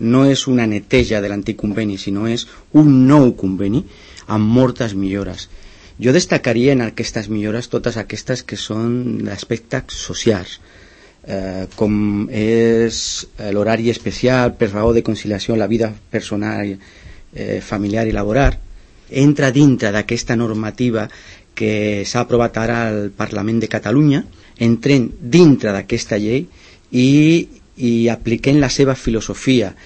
no és una neteja de l'antic conveni, sinó és un nou conveni amb moltes millores. Jo destacaria en aquestes millores totes aquestes que són d'aspectes socials, com és l'horari especial per raó de conciliació en la vida personal, familiar i laboral. Entra dintre d'aquesta normativa que s'ha aprovat ara al Parlament de Catalunya, entrem dintre d'aquesta llei i apliquem la seva filosofia